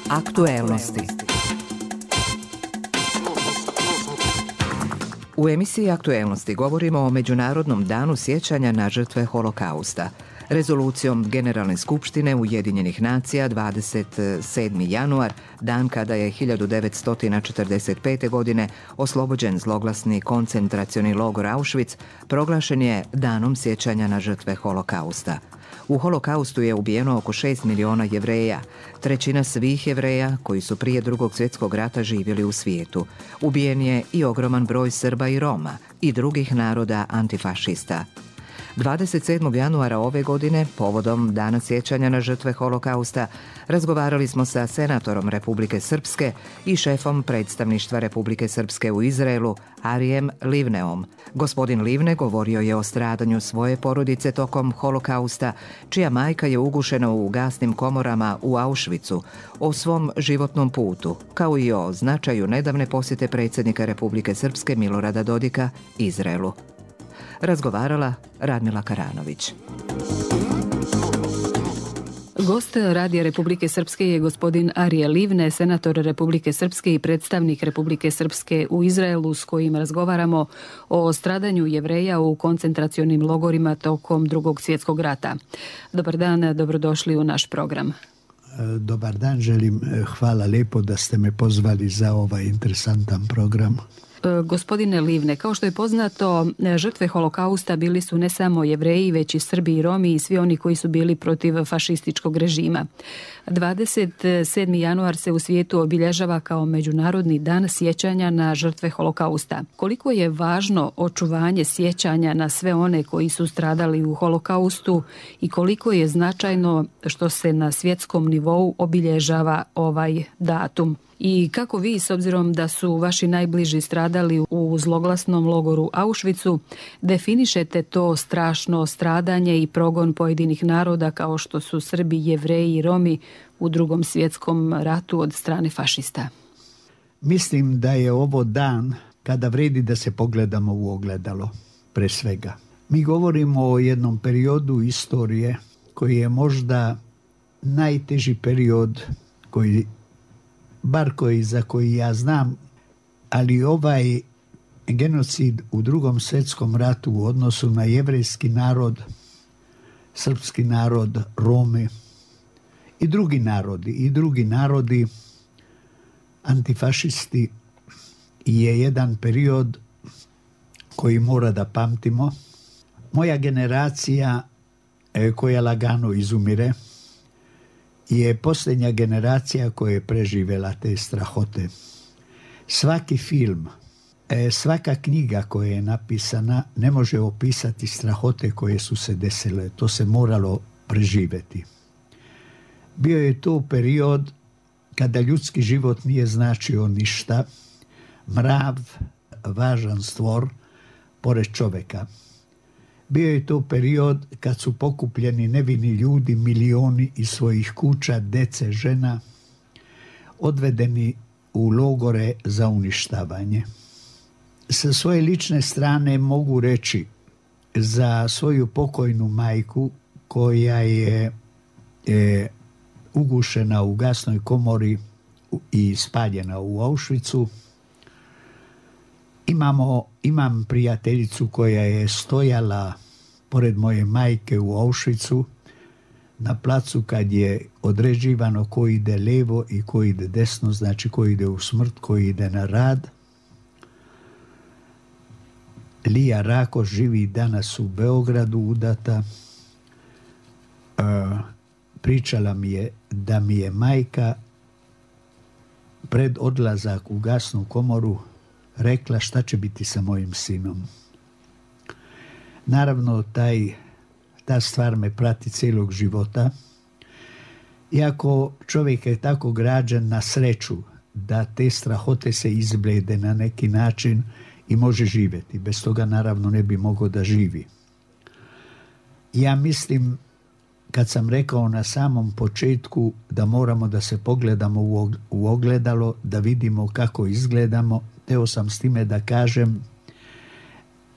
Aktuelnosti. U emisiji Aktuelnosti govorimo o Međunarodnom danu sjećanja na žrtve Holokausta. Rezolucijom Generalne skupštine Ujedinjenih nacija 27. januar, dan kada je 1945. godine oslobođen zloglasni koncentracioni logor Auschwitz, proglašen je danom sjećanja na žrtve Holokausta. U Holokaustu je ubijeno oko 6 miliona Jevreja, trećina svih Jevreja koji su prije Drugog svjetskog rata živjeli u svijetu. Ubijen je i ogroman broj Srba i Roma i drugih naroda antifašista. 27. januara ove godine, povodom Dana sjećanja na žrtve Holokausta, razgovarali smo sa senatorom Republike Srpske i šefom predstavništva Republike Srpske u Izraelu, Arijem Livneom. Gospodin Livne govorio je o stradanju svoje porodice tokom Holokausta, čija majka je ugušena u gasnim komorama u Auschwitzu, o svom životnom putu, kao i o značaju nedavne posjete predsjednika Republike Srpske Milorada Dodika Izraelu. Razgovarala Radmila Karanović. Gost Radija Republike Srpske je gospodin Arije Livne, senator Republike Srpske i predstavnik Republike Srpske u Izraelu, s kojim razgovaramo o stradanju Jevreja u koncentracionim logorima tokom Drugog svjetskog rata. Dobar dan, dobrodošli u naš program. Dobar dan, želim, hvala lijepo da ste me pozvali za ovaj interesantan program. Gospodine Livne, kao što je poznato, žrtve Holokausta bili su ne samo Jevreji, već i Srbi i Romi i svi oni koji su bili protiv fašističkog režima. 27. januar se u svijetu obilježava kao Međunarodni dan sjećanja na žrtve Holokausta. Koliko je važno očuvanje sjećanja na sve one koji su stradali u Holokaustu i koliko je značajno što se na svjetskom nivou obilježava ovaj datum? I kako vi, s obzirom da su vaši najbliži stradali u zloglasnom logoru Auschwitzu, definišete to strašno stradanje i progon pojedinih naroda kao što su Srbi, Jevreji i Romi u Drugom svjetskom ratu od strane fašista? Mislim da je ovo dan kada vredi da se pogledamo u ogledalo, pre svega. Mi govorimo o jednom periodu istorije koji je možda najteži period za koji ja znam, ali ovaj genocid u Drugom svjetskom ratu u odnosu na jevrejski narod, srpski narod, Romi i drugi narodi, antifašisti, je jedan period koji mora da pamtimo. Moja generacija koja lagano izumire je posljednja generacija koja je preživjela te strahote. Svaki film, svaka knjiga koja je napisana ne može opisati strahote koje su se desile. To se moralo preživjeti. Bio je to period kada ljudski život nije značio ništa. Mrav, važan stvor pored čovjeka. Bio je to period kad su pokupljeni nevini ljudi, milioni iz svojih kuća, dece, žena, odvedeni u logore za uništavanje. Sa svoje lične strane mogu reći za svoju pokojnu majku koja je ugušena u gasnoj komori i spaljena u Auschwitzu. Imam prijateljicu koja je stojala pored moje majke u Auschwitzu na placu kad je određivano ko ide levo i ko ide desno, znači ko ide u smrt, ko ide na rad. Lija Rakoš živi danas u Beogradu, udata. Pričala mi je da mi je majka pred odlazak u gasnu komoru rekla šta će biti sa mojim sinom. Naravno, ta stvar me prati cijelog života. Iako čovjek je tako građen na sreću da te strahote se izblede na neki način i može živjeti. Bez toga naravno ne bi mogao da živi. Ja mislim, kad sam rekao na samom početku da moramo da se pogledamo u ogledalo, da vidimo kako izgledamo, teo sam s time da kažem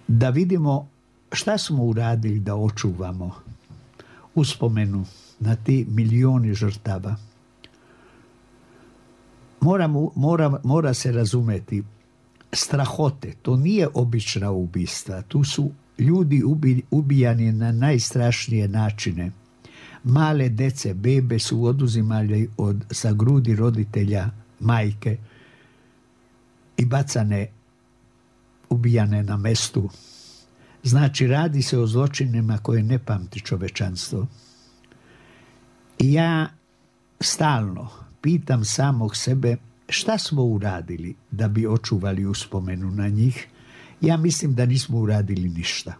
da vidimo šta smo uradili da očuvamo uspomenu na ti milioni žrtava. mora se razumeti, strahote, to nije obična ubistva, tu su ljudi ubijani na najstrašnije načine. Male dece, bebe su oduzimali sa grudi roditelja, majke i bacane, ubijane na mestu. Znači, radi se o zločinima koje ne pamti čovečanstvo. I ja stalno pitam samog sebe šta smo uradili da bi očuvali uspomenu na njih. Ja mislim da nismo uradili ništa.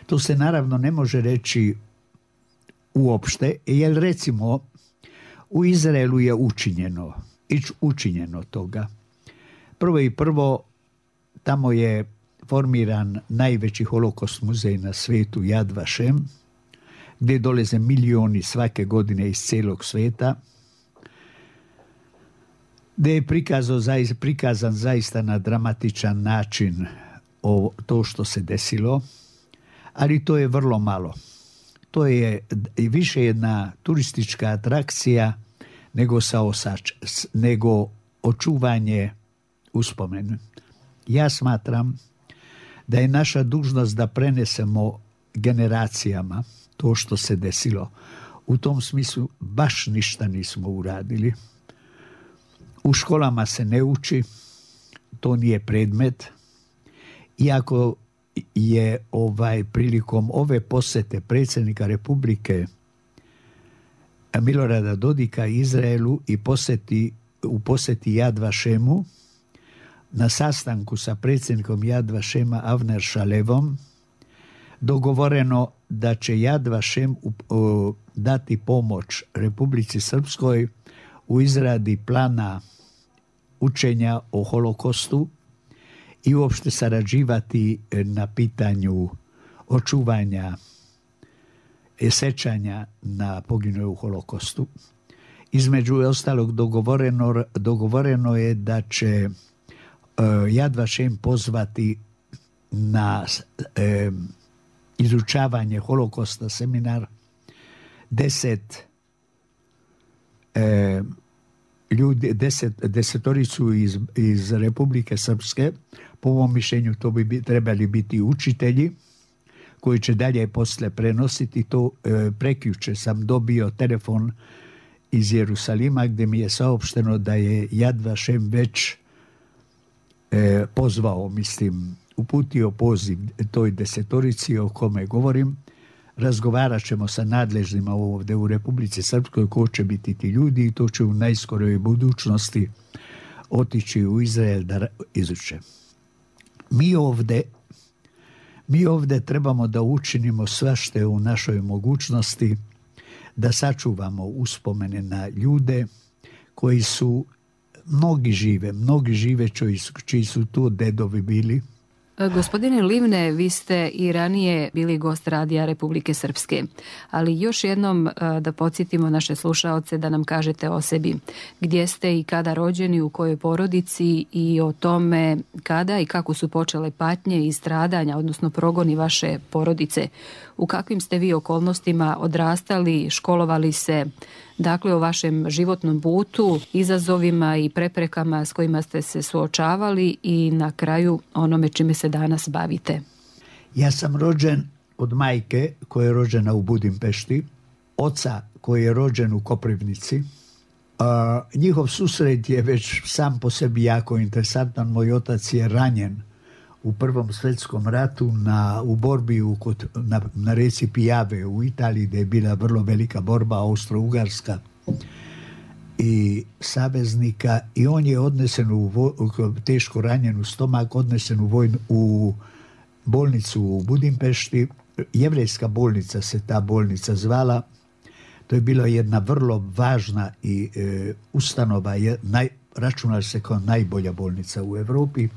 To se naravno ne može reći uopšte, jer recimo u Izraelu je učinjeno toga. Prvo, tamo je formiran najveći holokost muzej na svijetu, Yad Vashem, gdje dolaze milioni svake godine iz cijelog svijeta, gdje je prikazan zaista na dramatičan način to što se desilo, ali to je vrlo malo. To je više jedna turistička atrakcija nego očuvanje uspomenu. Ja smatram da je naša dužnost da prenesemo generacijama to što se desilo. U tom smislu baš ništa nismo uradili. U školama se ne uči, to nije predmet. Iako je prilikom ove posjete predsjednika Republike Milorada Dodika Izraelu i u posjeti Yad Vashemu, na sastanku sa predsjednikom Yad Vashema Avner Shalevom dogovoreno da će Yad Vashem dati pomoć Republici Srpskoj u izradi plana učenja o holokostu i uopšte sarađivati na pitanju očuvanja sećanja na poginule u holokostu. Između ostalog dogovoreno je da će Yad Vashem pozvati na izučavanje holokosta seminar 10 ljudi, desetoricu iz Republike Srpske. Po mom mišljenju to bi trebali biti učitelji koji će dalje posle prenositi to. Prekjuče sam dobio telefon iz Jerusalima gdje mi je saopšteno da je Yad Vashem već pozvao, uputio poziv toj desetorici o kome govorim. Razgovarat ćemo sa nadležnima ovdje u Republici Srpskoj ko će biti ti ljudi i to će u najskoroj budućnosti otići u Izrael da izuče. Mi ovdje trebamo da učinimo sve što je u našoj mogućnosti da sačuvamo uspomene na ljude koji su mnogi žive čiji su tu dedovi bili. Gospodine Livne, vi ste i ranije bili gost Radija Republike Srpske, ali još jednom da podsjetimo naše slušaoce da nam kažete o sebi. Gdje ste i kada rođeni, u kojoj porodici i o tome kada i kako su počele patnje i stradanja, odnosno progoni vaše porodice. U kakvim ste vi okolnostima odrastali, školovali se, dakle o vašem životnom putu, izazovima i preprekama s kojima ste se suočavali i na kraju onome čime se danas bavite. Ja sam rođen od majke koja je rođena u Budimpešti, oca koji je rođen u Koprivnici. Njihov susret je već sam po sebi jako interesantan. Moj otac je ranjen u Prvom svjetskom ratu u borbi na reci Pijave u Italiji, gdje je bila vrlo velika borba Austro-Ugarska i saveznika, i on je odnesen teško ranjen u stomak, odnesen u bolnicu u Budimpešti. Jevrejska bolnica se ta bolnica zvala. To je bila jedna vrlo važna i ustanova, računala se kao najbolja bolnica u Europi.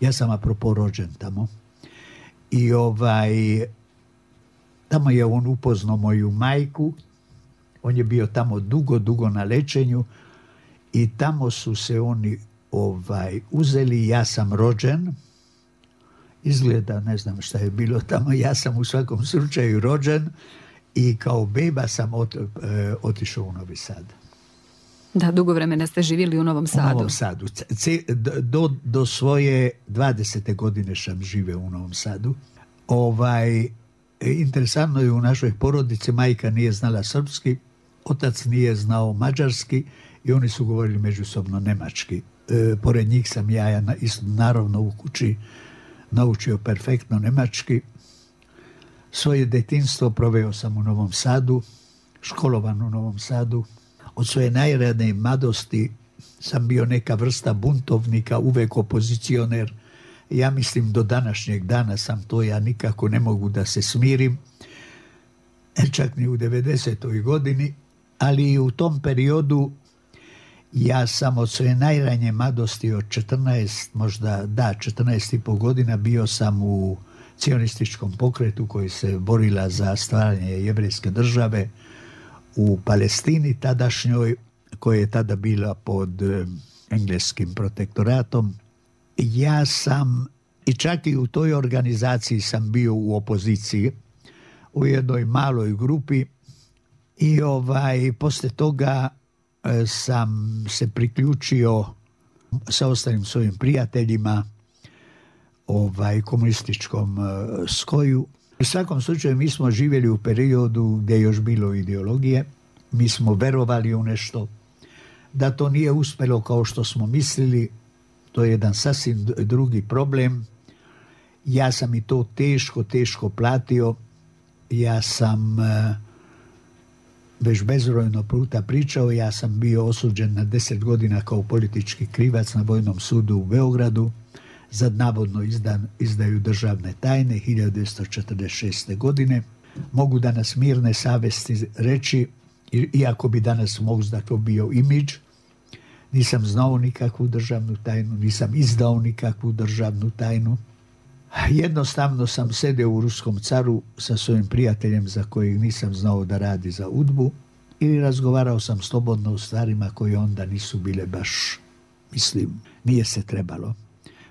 Ja sam apropo rođen tamo. I tamo je on upoznao moju majku. On je bio tamo dugo na lečenju i tamo su se oni uzeli. Ja sam rođen. Izgleda, ne znam šta je bilo tamo. Ja sam u svakom slučaju rođen i kao beba sam otišao u Novi Sad. Da, dugo vremena ste živjeli u Novom Sadu. U Novom Sadu. Do svoje 20. godine sam živeo u Novom Sadu. Interesantno je, u našoj porodici majka nije znala srpski, otac nije znao mađarski i oni su govorili međusobno nemački. Pored njih sam ja naravno u kući naučio perfektno nemački. Svoje detinjstvo proveo sam u Novom Sadu, školovan u Novom Sadu. Od svoje najranije mladosti sam bio neka vrsta buntovnika, uvek opozicioner. Ja mislim do današnjeg dana sam to, ja nikako ne mogu da se smirim, čak ni u 90. godini, ali i u tom periodu ja sam od svoje najranije mladosti od 14,5 godina bio sam u cionističkom pokretu koji se borila za stvaranje jevrejske države u Palestini tadašnjoj, koja je tada bila pod engleskim protektoratom. Ja sam, i čak i u toj organizaciji sam bio u opoziciji, u jednoj maloj grupi, i posle toga sam se priključio sa ostalim svojim prijateljima komunističkom skoju. U svakom slučaju mi smo živjeli u periodu gdje je još bilo ideologije, mi smo verovali u nešto, da to nije uspjelo kao što smo mislili, to je jedan sasvim drugi problem. Ja sam i to teško platio. Ja sam već bezbrojno puta pričao, ja sam bio osuđen na 10 godina kao politički krivac na Vojnom sudu u Beogradu za navodno izdaju državne tajne 1946. godine. Mogu danas mirne savesti reći, iako bi danas možda to bio imidž, nisam znao nikakvu državnu tajnu, nisam izdao nikakvu državnu tajnu. Jednostavno sam sedeo u Ruskom caru sa svojim prijateljem za kojeg nisam znao da radi za UDBU, ili razgovarao sam slobodno o stvarima koje onda nisu bile baš, mislim, nije se trebalo.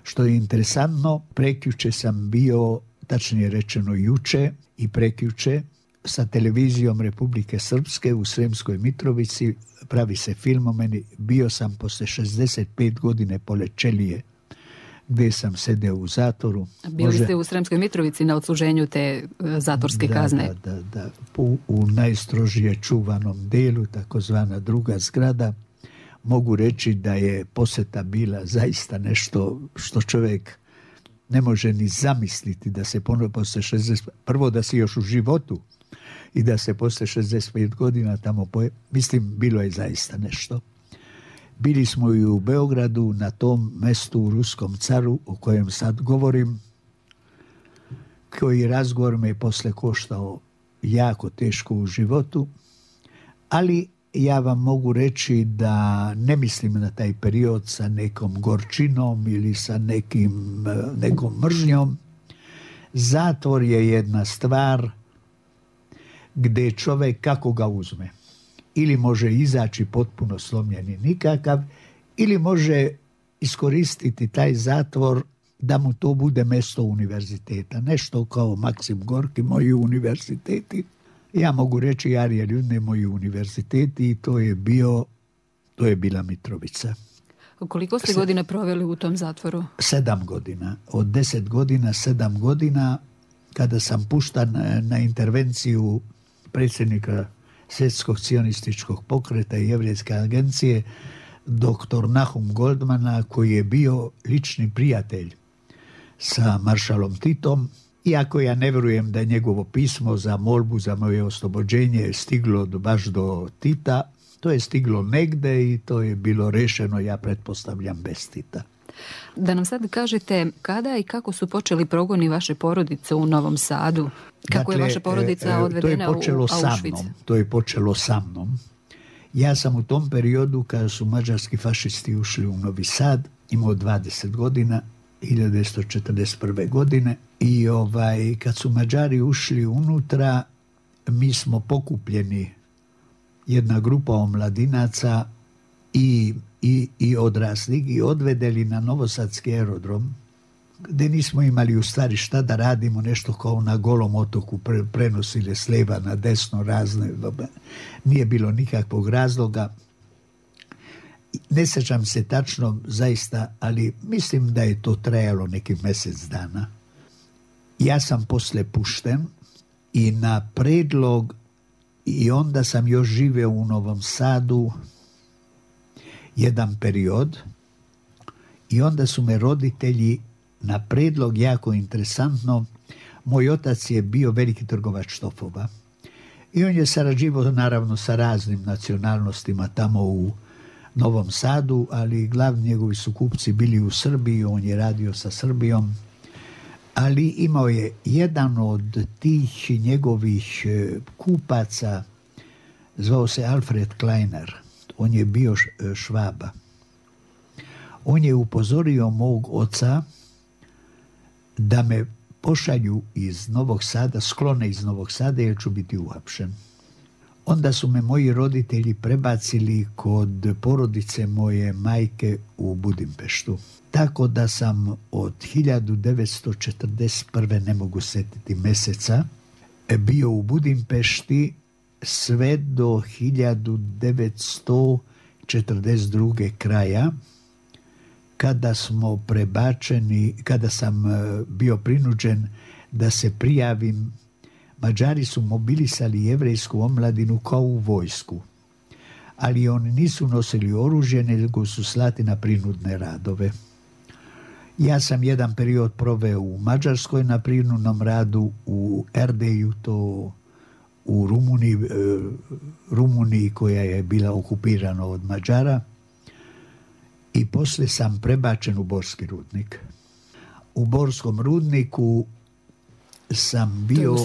Što je interesantno, prekjuče sam bio, tačnije rečeno juče i prekjuče, sa televizijom Republike Srpske u Sremskoj Mitrovici, pravi se film o meni. Bio sam posle 65 godine pored Čelije, gdje sam sedeo u zatvoru. Bili ste u Sremskoj Mitrovici na odsluženju te zatvorske kazne? Da. U najstrožije čuvanom delu, takozvana druga zgrada. Mogu reći da je posjeta bila zaista nešto što čovjek ne može ni zamisliti, da se posle 60, prvo da si još u životu i da se posle 65 godina tamo mislim, bilo je zaista nešto. Bili smo i u Beogradu, na tom mestu u Ruskom caru o kojem sad govorim, koji razgovor me je posle koštao jako teško u životu, ali ja vam mogu reći da ne mislim na taj period sa nekom gorčinom ili sa nekom mržnjom. Zatvor je jedna stvar gdje čovjek, kako ga uzme, ili može izaći potpuno slomljeni nikakav, ili može iskoristiti taj zatvor da mu to bude mesto univerziteta. Nešto kao Maksim Gorki, moji univerziteti. Ja mogu reći Arije Ljudne, moji univerziteti, i to je bila Mitrovica. Koliko ste godina proveli u tom zatvoru? 7 godina. Od 10 godina, 7 godina, kada sam puštan na intervenciju predsjednika Svjetskog cionističkog pokreta i Jevrejske agencije, dr. Nahum Goldmana, koji je bio lični prijatelj sa maršalom Titom. Iako ja ne vjerujem da je njegovo pismo za molbu za moje oslobođenje stiglo baš do Tita, to je stiglo negde i to je bilo rešeno, ja pretpostavljam, bez Tita. Da nam sad kažete kada i kako su počeli progoni vaše porodice u Novom Sadu? Kako je vaša porodica odvedena u Auschwitz? To je počelo sa mnom. Ja sam u tom periodu, kada su mađarski fašisti ušli u Novi Sad, imao 20 godina, 1941. godine, i kad su Mađari ušli unutra, mi smo pokupljeni, jedna grupa omladinaca i odraslih, i odvedeli na Novosadski aerodrom, gdje nismo imali u stvari šta da radimo, nešto kao na Golom otoku, prenosili s lijeva na desno razne, nije bilo nikakvog razloga. Ne sjećam se tačno zaista, ali mislim da je to trajalo nekih mjesec dana. Ja sam posle pušten i na predlog, i onda sam još živio u Novom Sadu jedan period, i onda su me roditelji na predlog, jako interesantno, moj otac je bio veliki trgovač štofova i on je sarađivao naravno sa raznim nacionalnostima tamo u Novom Sadu, ali glavni njegovi su kupci bili u Srbiji, on je radio sa Srbijom, ali imao je jedan od tih njegovih kupaca, zvao se Alfred Kleiner, on je bio Švaba. On je upozorio mog oca da me pošalju iz Novog Sada, sklone iz Novog Sada jer ću biti uhapšen. Onda su me moji roditelji prebacili kod porodice moje majke u Budimpeštu. Tako da sam od 1941. ne mogu setiti meseca, bio u Budimpešti sve do 1942. kraja, kada smo prebačeni, kada sam bio prinuđen da se prijavim. Mađari su mobilisali jevrejsku omladinu kao u vojsku, ali oni nisu nosili oružje, nego su slati na prinudne radove. Ja sam jedan period proveo u Mađarskoj na prinudnom radu, u Erdeju, to u Rumuniji koja je bila okupirana od Mađara, i poslije sam prebačen u Borski rudnik. U Borskom rudniku sam bio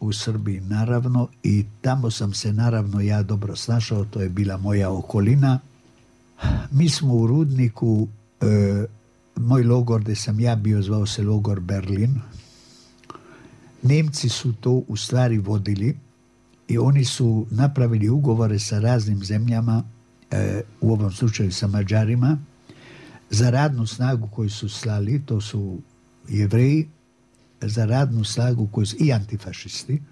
u Srbiji naravno, i tamo sam se naravno ja dobro snašao, to je bila moja okolina. Mi smo u rudniku, moj logor gdje sam ja bio zvao se logor Berlin. Nemci su to u stvari vodili i oni su napravili ugovore sa raznim zemljama, u ovom slučaju sa Mađarima, za radnu snagu koju su slali, to su Jevreji, za radnu snagu koju su i antifašisti,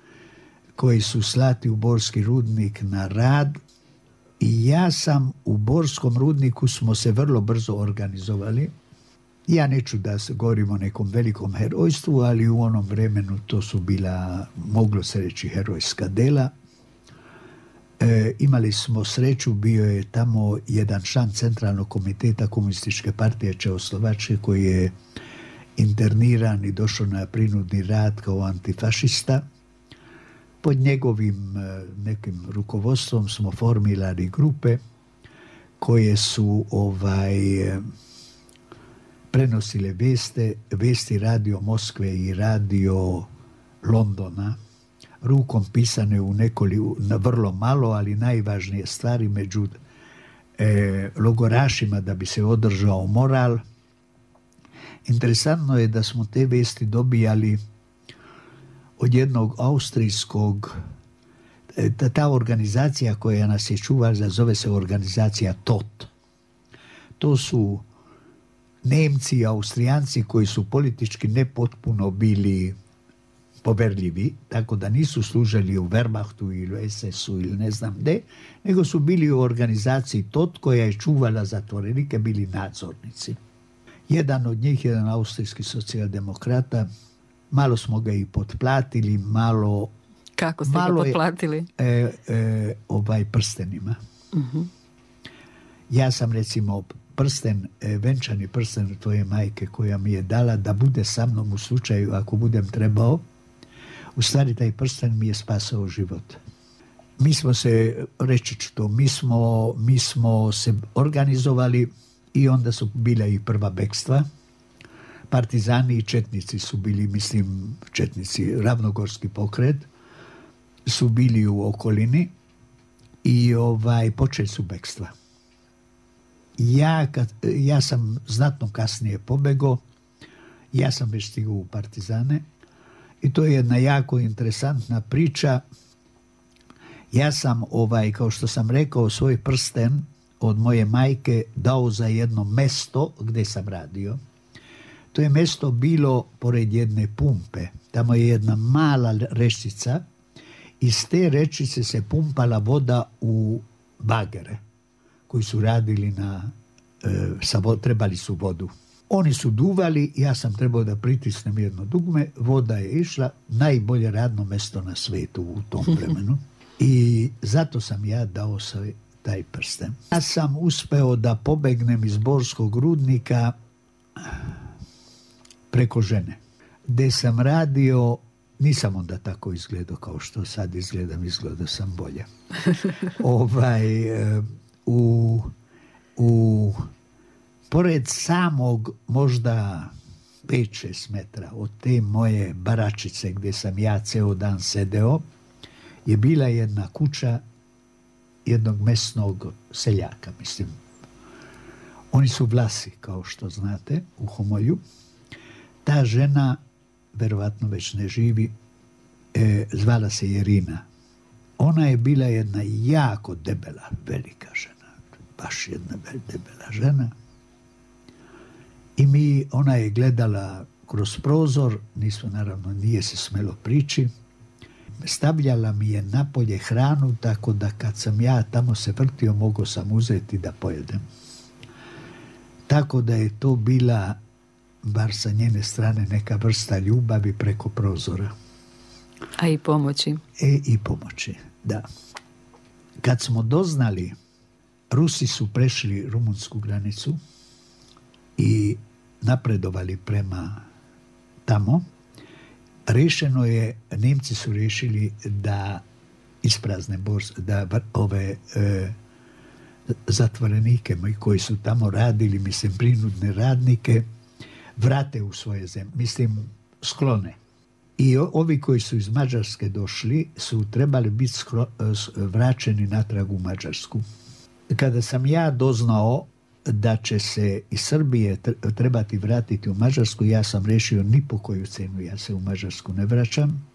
koji su slati u Borski rudnik na rad, i ja sam u Borskom rudniku, smo se vrlo brzo organizovali. Ja neću da se govorim o nekom velikom herojstvu, ali u onom vremenu to su bila, moglo se reći, herojska dela. Imali smo sreću, bio je tamo jedan član centralnog komiteta Komunističke partije Čehoslovačke koji je interniran i došao na prinudni rad kao antifašista. Pod njegovim nekim rukovodstvom smo formirali grupe koje su prenosile vesti radio Moskve i radio Londona, rukom pisane na vrlo malo, ali najvažnije stvari među logorašima da bi se održao moral. Interesantno je da smo te vesti dobijali od jednog austrijskog, ta organizacija koja nas je čuvala, zove se organizacija TOT. To su Nemci i Austrijanci koji su politički nepotpuno bili poverljivi, tako da nisu služili u Wehrmachtu ili SS-u ili ne znam gde, nego su bili u organizaciji TOT koja je čuvala zatvorenike, bili nadzornici. Jedan od njih, jedan austrijski socijaldemokrata, malo smo ga i potplatili, malo... Kako ste ga potplatili? Prstenima. Uh-huh. Ja sam recimo venčani prsten tvoje majke koja mi je dala da bude sa mnom u slučaju ako budem trebao. U stvari taj prsten mi je spasao život. Mi smo se, reći ću to, mi smo se organizovali i onda su bila i prva bekstva. Partizani i četnici su bili, mislim, četnici, Ravnogorski pokret, su bili u okolini i počeli su bekstva. Ja sam znatno kasnije pobegao, ja sam već stigao u partizane i to je jedna jako interesantna priča. Ja sam, kao što sam rekao, svoj prsten od moje majke dao za jedno mesto gdje sam radio. To je mesto bilo pored jedne pumpe. Tamo je jedna mala rečica. Iz te rečice se pumpala voda u bagere koji su radili trebali su vodu. Oni su duvali, ja sam trebao da pritisnem jedno dugme, voda je išla, najbolje radno mesto na svetu u tom vremenu. I zato sam ja dao taj prsten. Ja sam uspeo da pobegnem iz Borskog rudnika preko žene, gde sam radio. Nisam onda tako izgledao kao što sad izgledam, izgledao sam bolje. Pored samog možda 5-6 metra od te moje baračice gdje sam ja ceo dan sedeo, je bila jedna kuća jednog mesnog seljaka, mislim. Oni su Vlasi, kao što znate, u Homolju. Ta žena, verovatno već ne živi, zvala se Jerina. Ona je bila jedna jako debela, velika žena. Baš jedna debela žena. I ona je gledala kroz prozor, naravno nije se smelo prići. Stavljala mi je napolje hranu, tako da kad sam ja tamo se vrtio, mogao sam uzeti da pojedem. Tako da je to bila, bar sa njene strane, neka vrsta ljubavi preko prozora. A i pomoći. I pomoći, da. Kad smo doznali, Rusi su prešli rumunsku granicu i napredovali prema tamo. Rešeno je, Nemci su rešili da isprazne da ove zatvorenike koji su tamo radili, mislim, prinudne radnike, vrate u svoje zemlje, mislim, sklone. I ovi koji su iz Mađarske došli su trebali biti vraćeni natrag u Mađarsku. Kada sam ja doznao da će se iz Srbije trebati vratiti u Mađarsku, ja sam rešio ni po koju cenu ja se u Mađarsku ne vraćam.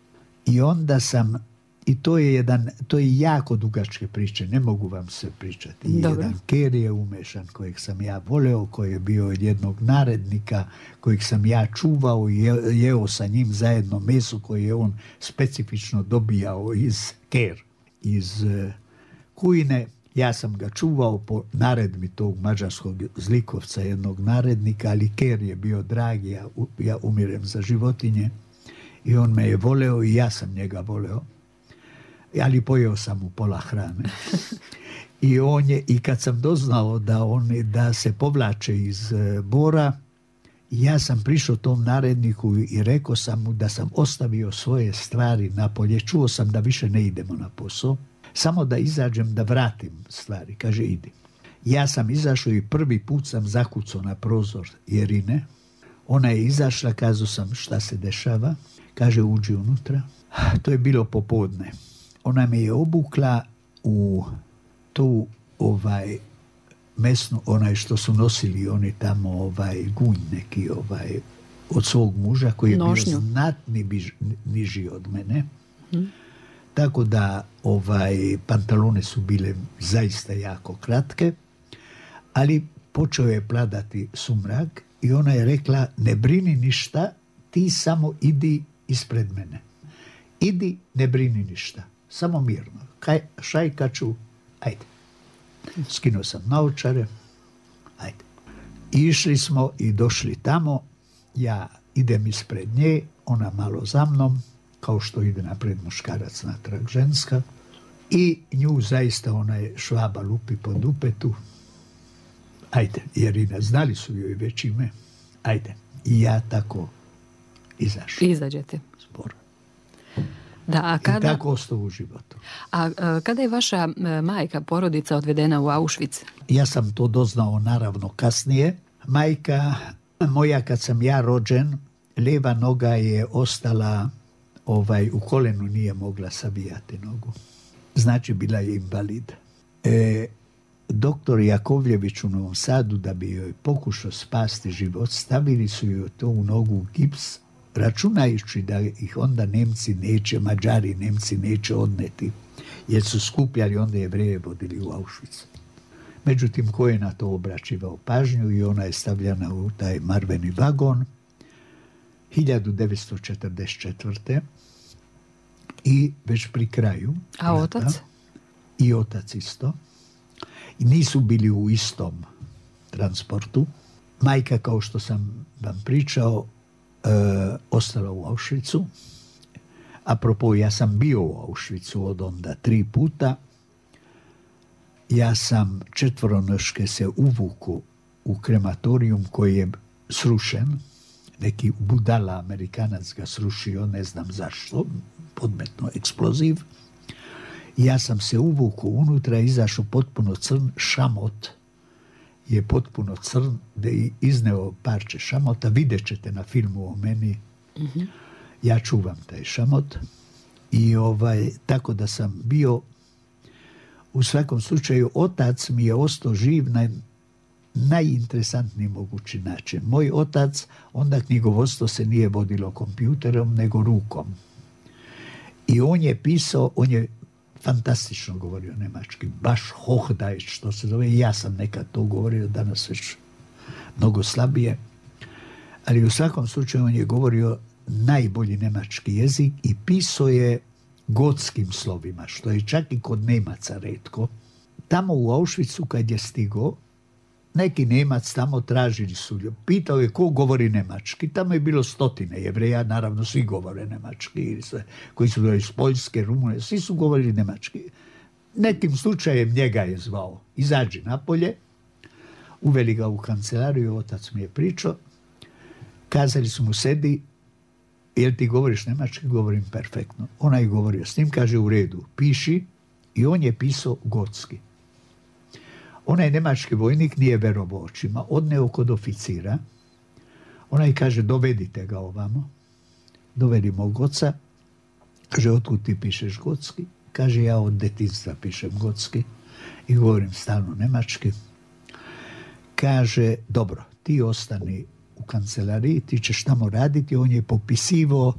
I onda sam, i to je jako dugačke priče, ne mogu vam se pričati. Dobro. Jedan ker je umešan kojeg sam ja voleo, koji je bio od jednog narednika, kojeg sam ja čuvao i jeo sa njim zajedno meso koje je on specifično dobijao iz Kujine. Ja sam ga čuvao po naredbi tog mađarskog zlikovca, jednog narednika, ali ker je bio dragi, ja umirem za životinje i on me je voleo i ja sam njega voleo, ali pojeo sam mu pola hrane. I kad sam doznao da se povlače iz Bora, ja sam prišao tom naredniku i rekao sam mu da sam ostavio svoje stvari napolje, čuo sam da više ne idemo na posao, samo da izađem da vratim stvari. Kaže, idi. Ja sam izašao i prvi put sam zakucao na prozor Jerine. Ona je izašla, kazao sam šta se dešava. Kaže, uđi unutra. To je bilo popodne. Ona me je obukla u tu mesnu, onaj što su nosili oni tamo gunj neki od svog muža koji je bio znatni niži od mene. Tako da pantalone su bile zaista jako kratke, ali počeo je pladati sumrak i ona je rekla, ne brini ništa, ti samo idi ispred mene. Idi, ne brini ništa, samo mirno. Šajkaču, ajde. Skinuo sam naočare, ajde. Išli smo i došli tamo, ja idem ispred nje, ona malo za mnom, kao što ide napred muškarac natrag ženska, i nju zaista ona je Švaba lupi po dupetu. Ajde, Jerina, znali su joj već ime, ajde. I ja tako izašao. Izađete. Sporo. Da, I tako ostao u životu. A kada je vaša majka, porodica odvedena u Auschwitz? Ja sam to doznao naravno kasnije. Majka moja, kad sam ja rođen, lijeva noga je ostala u kolenu, nije mogla savijati nogu. Znači, bila je invalid. Doktor Jakovljević u Novom Sadu, da bi joj pokušao spasti život, stavili su joj to u nogu u gips, računajući da ih onda Mađari Nemci neće odneti, jer su skupljali onda Jevreje, vodili u Auschwitz. Međutim, ko je na to obraćivao pažnju i ona je stavljena u taj marveni vagon 1944. I već pri kraju. A otac? I otac isto. i nisu bili u istom transportu. Majka, kao što sam vam pričao, ostala u Auschwitzu. Apropo, ja sam bio u Auschwitzu od onda 3 puta. Ja sam 4 se uvuku u krematorijum koji je srušen. Neki budala Amerikanac ga srušio, ne znam zašto, podmetno eksploziv. Ja sam se uvuku unutra, izašao potpuno crn, šamot je potpuno crn, da je izneo parče šamota. Vidjet ćete na filmu o meni. Ja čuvam taj šamot. I tako da sam bio, u svakom slučaju, otac mi je ostao živ na najinteresantniji mogući način. Moj otac, onda knjigovodstvo se nije vodilo kompjuterom, nego rukom. I on je pisao, on je fantastično govorio nemački, baš Hochdeutsch, što se zove. Ja sam nekad to govorio, danas već mnogo slabije. Ali u svakom slučaju on je govorio najbolji nemački jezik i pisao je gotskim slovima, što je čak i kod Nemaca retko. Tamo u Auschwitzu kad je stigao, neki Nemac tamo tražili su, pitao je ko govori nemački. Tamo je bilo 100 Jevreja, naravno svi govore nemački, koji su bili iz Poljske, Rumunije, svi su govorili nemački. Nekim slučajem njega je zvao, izađi napolje, uveli ga u kancelariju, otac mi je pričao, kazali su mu, sedi, jel ti govoriš nemački? Govorim perfektno. Ona je govorio s njim, kaže u redu, piši, i on je pisao gotski. Onaj nemački vojnik nije verovao očima, odneo kod oficira. Onaj kaže, dovedite ga ovamo. Dovedi mog oca. Kaže, otkud ti pišeš gotski? Kaže, ja od detinjstva pišem gotski i govorim stalno nemački. Kaže, dobro, ti ostani u kancelariji, ti ćeš tamo raditi. On je popisivao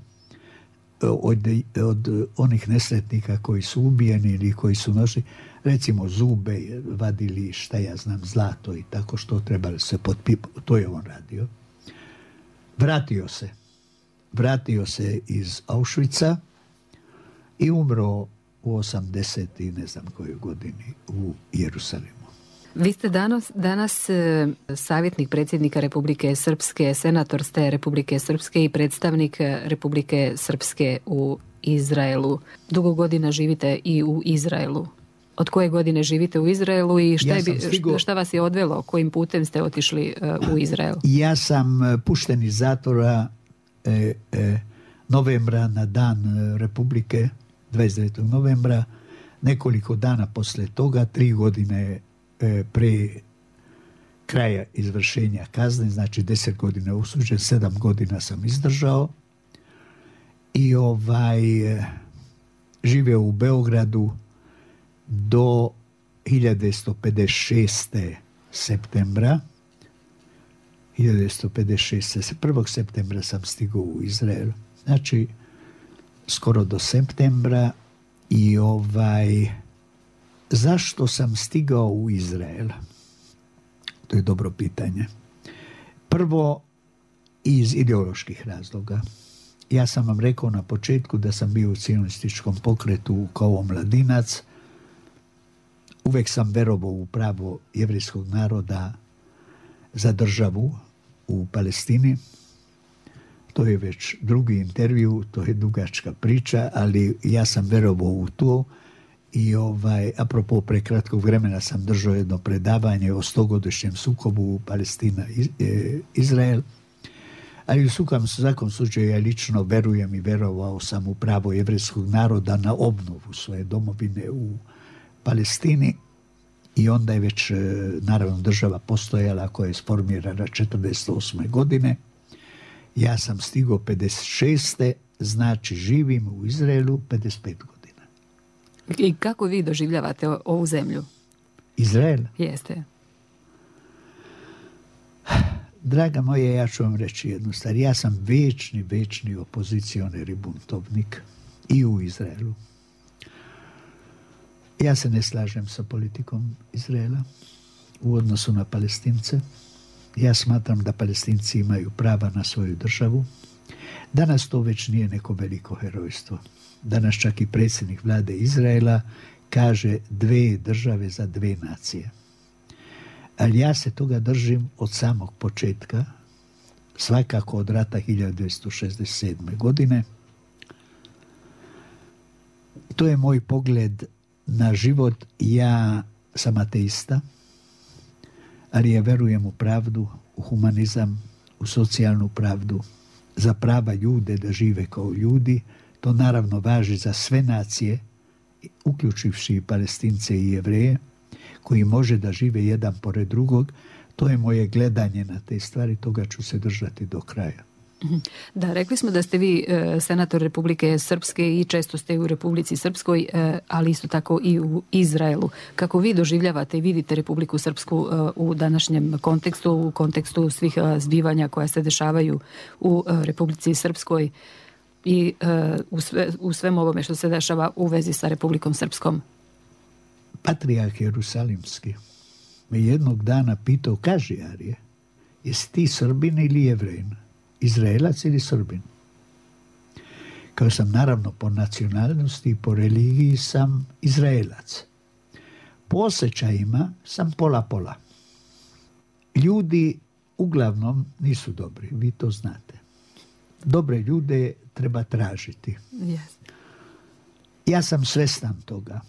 od onih nesretnika koji su ubijeni ili koji su nošli, recimo zube, vadili, šta ja znam, zlato i tako, što trebali se potpipati. To je on radio. Vratio se iz Auschwitza i umro u 80. i ne znam kojoj godini u Jerusalimu. Vi ste danas savjetnik predsjednika Republike Srpske, senator ste Republike Srpske i predstavnik Republike Srpske u Izraelu. Dugo godina živite i u Izraelu. Od koje godine živite u Izraelu i šta vas je odvelo? Kojim putem ste otišli u Izrael? Ja sam pušten iz zatvora novembra, na dan Republike, 29. novembra. Nekoliko dana posle toga, 3 godine pre kraja izvršenja kazne, znači 10 godina osuđen, 7 godina sam izdržao i živeo u Beogradu do 1956. septembra. 1. septembra sam stigao u Izrael. Znači, skoro do septembra. I zašto sam stigao u Izrael? To je dobro pitanje. Prvo, iz ideoloških razloga. Ja sam vam rekao na početku da sam bio u cionističkom pokretu kao mladinac. Uvek sam verovao u pravo jevrejskog naroda za državu u Palestini. To je već drugi intervju, to je dugačka priča, ali ja sam verovao u to. I apropo, pre kratkog vremena sam držao jedno predavanje o 100-godišnjem sukobu Palestina-Izrael. Ali u svakom slučaju ja lično verujem i verovao sam u pravo jevrejskog naroda na obnovu svoje domovine u Palestini. I onda je već, naravno, država postojala koja je sformirana 1948. godine. Ja sam stigao 56. Znači živim u Izraelu 55 godina. I kako vi doživljavate ovu zemlju? Izrael? Jeste. Draga moja, ja ću vam reći jednu stvar. Ja sam večni opozicioner i buntovnik i u Izraelu. Ja se ne slažem sa politikom Izraela u odnosu na Palestince. Ja smatram da Palestinci imaju prava na svoju državu. Danas to već nije neko veliko herojstvo. Danas čak i predsjednik vlade Izraela kaže 2 države za 2 nacije. Ali ja se toga držim od samog početka, svakako od rata 1967. godine. To je moj pogled na život. Ja sam ateista, ali ja verujem u pravdu, u humanizam, u socijalnu pravdu, za prava ljude da žive kao ljudi. To naravno važi za sve nacije, uključivši i Palestince i Jevreje, koji može da žive jedan pored drugog. To je moje gledanje na te stvari, toga ću se držati do kraja. Da, rekli smo da ste vi senator Republike Srpske i često ste u Republici Srpskoj, ali isto tako i u Izraelu. Kako vi doživljavate i vidite Republiku Srpsku u današnjem kontekstu, u kontekstu svih zbivanja koja se dešavaju u Republici Srpskoj i u svem ovome što se dešava u vezi sa Republikom Srpskom? Patrijarh Jerusalimski me jednog dana pitao, kaži Arije, jesi ti Srbin ili Jevrejin? Izraelac ili Srbin? Kao sam naravno po nacionalnosti i po religiji sam Izraelac. Po osjećajima sam pola-pola. Ljudi uglavnom nisu dobri, vi to znate. Dobre ljude treba tražiti. Yes. Ja sam svestan toga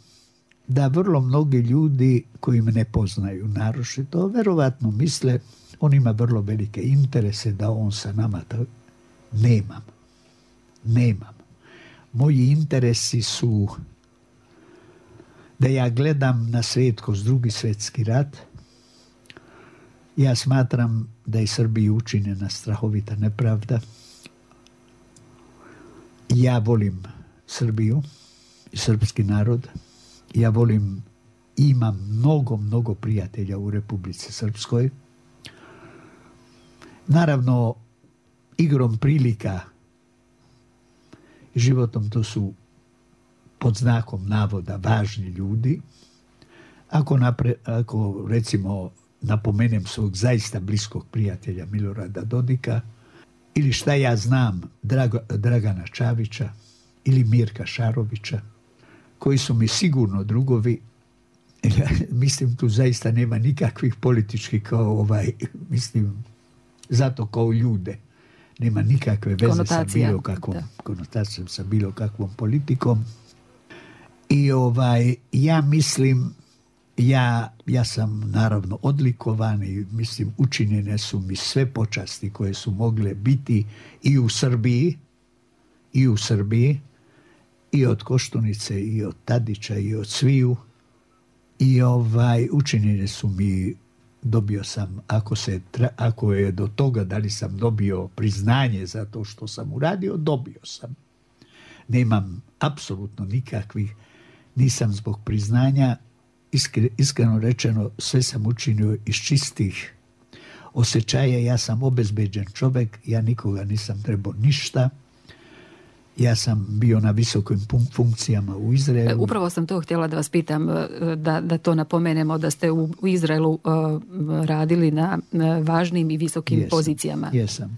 da vrlo mnogi ljudi koji me ne poznaju naročito, verovatno misle on ima vrlo velike interese da on sa nama... Nemam. Moji interesi su da ja gledam na svijet kroz Drugi svjetski rat. Ja smatram da je Srbiji učinjena strahovita nepravda. Ja volim Srbiju i srpski narod. Ja volim, imam mnogo prijatelja u Republici Srpskoj. Naravno, igrom prilika i životom to pod znakom navoda važni ljudi. Ako recimo napomenem svog zaista bliskog prijatelja Milorada Dodika, ili šta ja znam Dragana Čavića ili Mirka Šarovića, koji su mi sigurno drugovi. Mislim, tu zaista nema nikakvih političkih zato kao ljude. Nema nikakve veze sa bilo kakvom konotacijom, sa bilo kakvom politikom. I ja mislim, ja sam naravno odlikovan i mislim učinjene su mi sve počasti koje su mogle biti i u Srbiji, i od Koštunice, i od Tadića, i od sviju. I učinjene su mi, dobio sam, ako je do toga da li sam dobio priznanje za to što sam uradio, dobio sam. Nemam apsolutno nikakvih, nisam zbog priznanja, iskreno rečeno, sve sam učinio iz čistih osjećaja. Ja sam obezbeđen čovjek, ja nikoga nisam trebao ništa. Ja sam bio na visokim funkcijama u Izraelu. Upravo sam to htjela da vas pitam, da to napomenemo, da ste u Izraelu radili na važnim i visokim pozicijama. Jesam.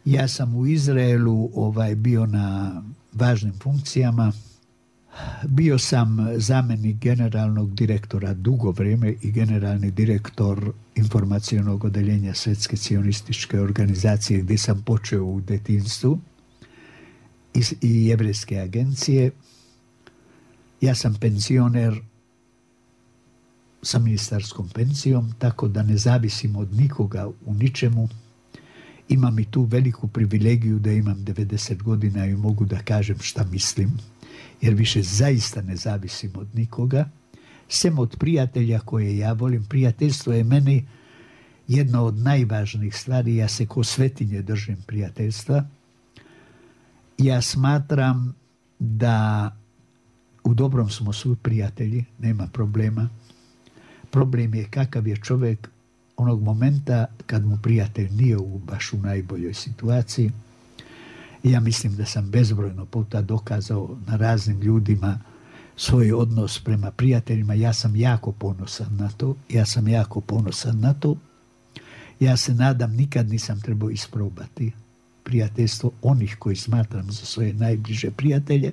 Ja sam u Izraelu bio na važnim funkcijama. Bio sam zamjenik generalnog direktora dugo vrijeme i generalni direktor informacionog odeljenja Svjetske cionističke organizacije gdje sam počeo u detinjstvu i Jevrejske agencije. Ja sam penzioner sa ministarskom pensijom, tako da ne zavisim od nikoga u ničemu. Imam i tu veliku privilegiju da imam 90 godina i mogu da kažem šta mislim, jer više zaista ne zavisim od nikoga, sem od prijatelja koje ja volim. Prijateljstvo je meni jedna od najvažnijih stvari. Ja se ko svetinje držim prijateljstva. Ja smatram da u dobrom smo svi prijatelji, nema problema. Problem je kakav je čovjek onog momenta kad mu prijatelj nije baš u najboljoj situaciji. Ja mislim da sam bezbrojno puta dokazao na raznim ljudima svoj odnos prema prijateljima. Ja sam jako ponosan na to. Ja se nadam, nikad nisam trebao isprobati prijateljstvo onih koji smatram za svoje najbliže prijatelje,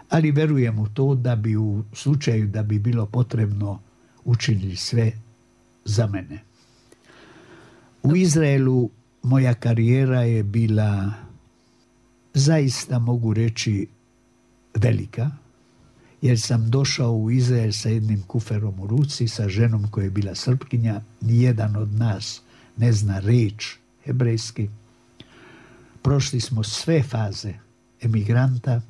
ali verujem u to da bi u slučaju da bi bilo potrebno učinili sve za mene. U Izraelu moja karijera je bila, zaista mogu reći, velika, jer sam došao u Izrael sa jednim kuferom u ruci, sa ženom koja je bila Srpkinja. Nijedan od nas ne zna reč hebrejski. Prošli smo sve faze emigranta,